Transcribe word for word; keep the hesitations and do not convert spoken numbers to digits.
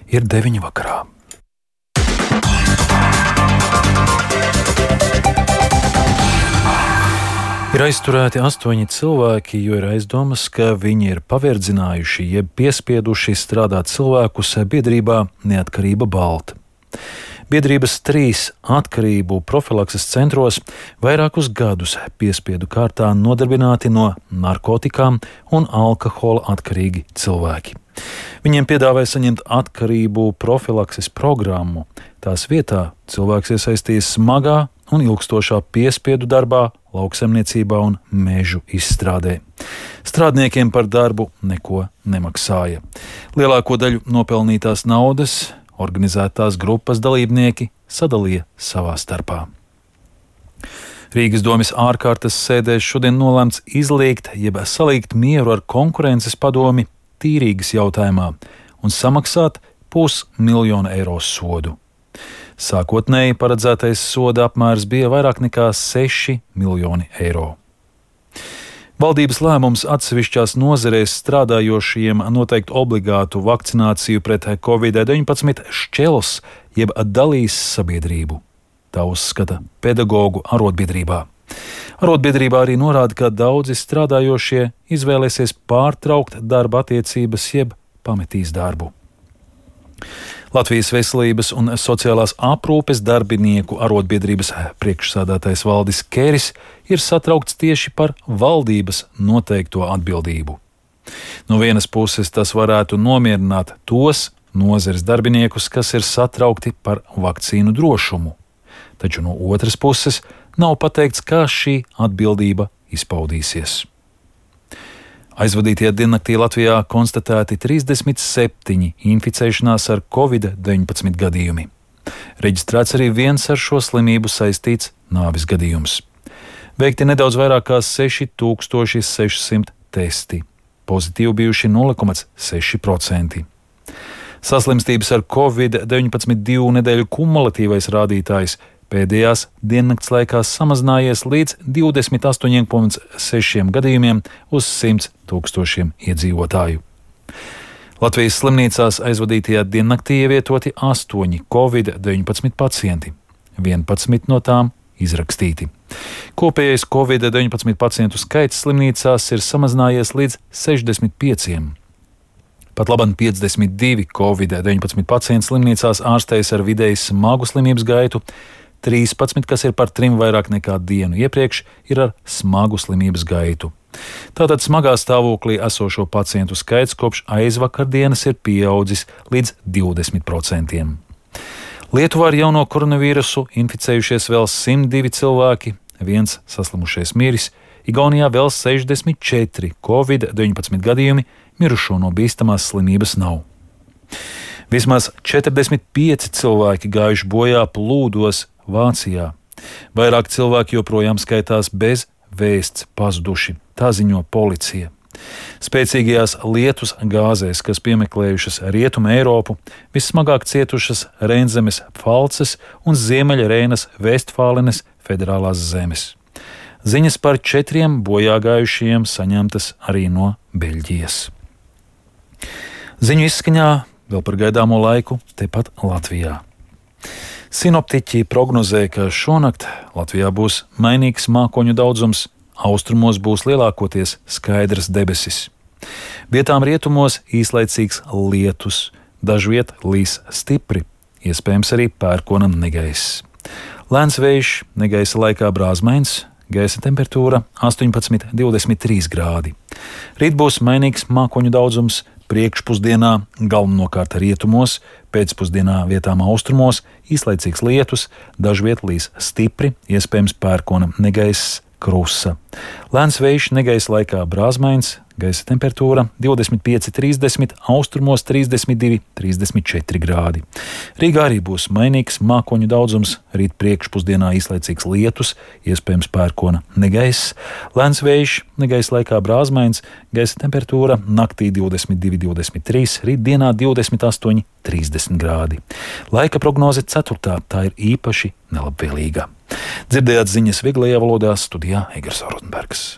Ir deviņi vakarā. Ir aizturēti astoņi cilvēki, jo ir aizdomas, ka viņi ir paverdzinājuši jeb piespieduši strādāt cilvēkus biedrībā Neatkarība Balta. Biedrības trīs atkarību profilakses centros vairākus gadus piespiedu kārtā nodarbināti no narkotikām un alkohola atkarīgi cilvēki. Viņiem piedāvāja saņemt atkarību profilakses programmu. Tās vietā cilvēks iesaistījās smagā un ilgstošā piespiedu darbā, lauksaimniecībā un mežu izstrādē. Strādniekiem par darbu neko nemaksāja. Lielāko daļu nopelnītās naudas organizētās grupas dalībnieki sadalīja savā starpā. Rīgas domes ārkārtas sēdēs šodien nolēmts izliegt jeb salīgt mieru ar konkurences padomi tīrīgas jautājumā un samaksāt pusmiljonu eiro sodu. Sākotnēji paredzētais soda apmērs bija vairāk nekā seši miljoni eiro. Valdības lēmums atsevišķās nozarēs strādājošiem noteikt obligātu vakcināciju pret covid deviņpadsmit šķels jeb dalīs sabiedrību. Tā uzskata pedagogu arotbiedrībā. Arotbiedrībā arī norāda, ka daudzi strādājošie izvēlēsies pārtraukt darba attiecības jeb pametīs darbu. Latvijas Veselības un sociālās aprūpes darbinieku arotbiedrības priekšsādātais Valdis Kēris ir satraukts tieši par valdības noteikto atbildību. No vienas puses tas varētu nomierināt tos nozares darbiniekus, kas ir satraukti par vakcīnu drošumu, taču no otras puses nav pateikts, kā šī atbildība izpaudīsies. Aizvadītajā diennaktī Latvijā konstatēti trīsdesmit septiņi inficēšanās ar covid deviņpadsmit gadījumi. Reģistrēts arī viens ar šo slimību saistīts nāves gadījums. Veikti nedaudz vairāk kā seši tūkstoši seši simti testi, pozitīvi bijuši nulle komats seši procenti. Saslimstības ar covid deviņpadsmit divu nedēļu kumulatīvais rādītājs pēdējās diennakts laikā samazinājies līdz divdesmit astoņiem komats sešiem gadījumiem uz simts tūkstošiem iedzīvotāju. Latvijas slimnīcās aizvadītajā diennaktī ievietoti astoņi covid deviņpadsmit pacienti, vienpadsmit no tām izrakstīti. Kopējais covid deviņpadsmit pacientu skaits slimnīcās ir samazinājies līdz sešdesmit pieciem. Pat labam piecdesmit divi covid deviņpadsmit pacienti slimnīcās ārstējas ar vidēji smagu slimības gaitu, trīspadsmit, kas ir par trim vairāk nekā dienu iepriekš, ir ar smagu slimības gaitu. Tātad smagā stāvoklī esošo pacientu skaits kopš aizvakardienas ir pieaudzis līdz divdesmit procentiem. Lietuvā ar jauno koronavīrusu inficējušies vēl simt divi cilvēki, viens saslimušais miris, Igaunijā vēl sešdesmit četri covid deviņpadsmit gadījumi, mirušo no bīstamās slimības nav. Vismaz četrdesmit pieci cilvēki gājuši bojā plūdos Vācijā. Vairāk cilvēki joprojām skaitās bez vēsts pazuduši, tā ziņo policija. Spēcīgajās lietus gāzēs, kas piemeklējušas Rietumu Eiropu, vissmagāk cietušas Reinzemes Pfalces un Ziemeļreinas Vestfālenes federālās zemes. Ziņas par četriem bojāgājušiem saņemtas arī no Beļģijas. Ziņu izskaņā vēl par gaidāmo laiku tepat Latvijā. Sinoptiķi prognozē, ka šonakt Latvijā būs mainīgs mākoņu daudzums, austrumos būs lielākoties skaidras debesis. Vietām rietumos īslaicīgs lietus, dažviet līs stipri, iespējams arī pērkona negaiss. Lēns vējš, negaisa laikā brāzmains, gaisa temperatūra astoņpadsmit līdz divdesmit trīs grādi. Rīt būs mainīgs mākoņu daudzums, priekšpusdienā galvenokārt rietumos, pēcpusdienā vietām austrumos, īslaicīgs lietus, dažviet līs stipri, iespējams pērkona negaiss, krusa. Lēns vējš negaisa laikā brāzmains, gaisa temperatūra divdesmit pieci līdz trīsdesmit, austrumos trīsdesmit divi līdz trīsdesmit četri grādi. Rīgā arī būs mainīgs mākoņu daudzums, rīt priekšpusdienā īslaicīgs lietus, iespējams pērkona negaiss, lēns vējš, negaisa laikā brāzmains, gaisa temperatūra naktī divdesmit divi līdz divdesmit trīs, rīt dienā divdesmit astoņi līdz trīsdesmit grādi. Laika prognoze ceturtā, tā ir īpaši nelabvēlīga. Dzirdējāt ziņas vieglajā valodā, studijā Egers Rozenbergs.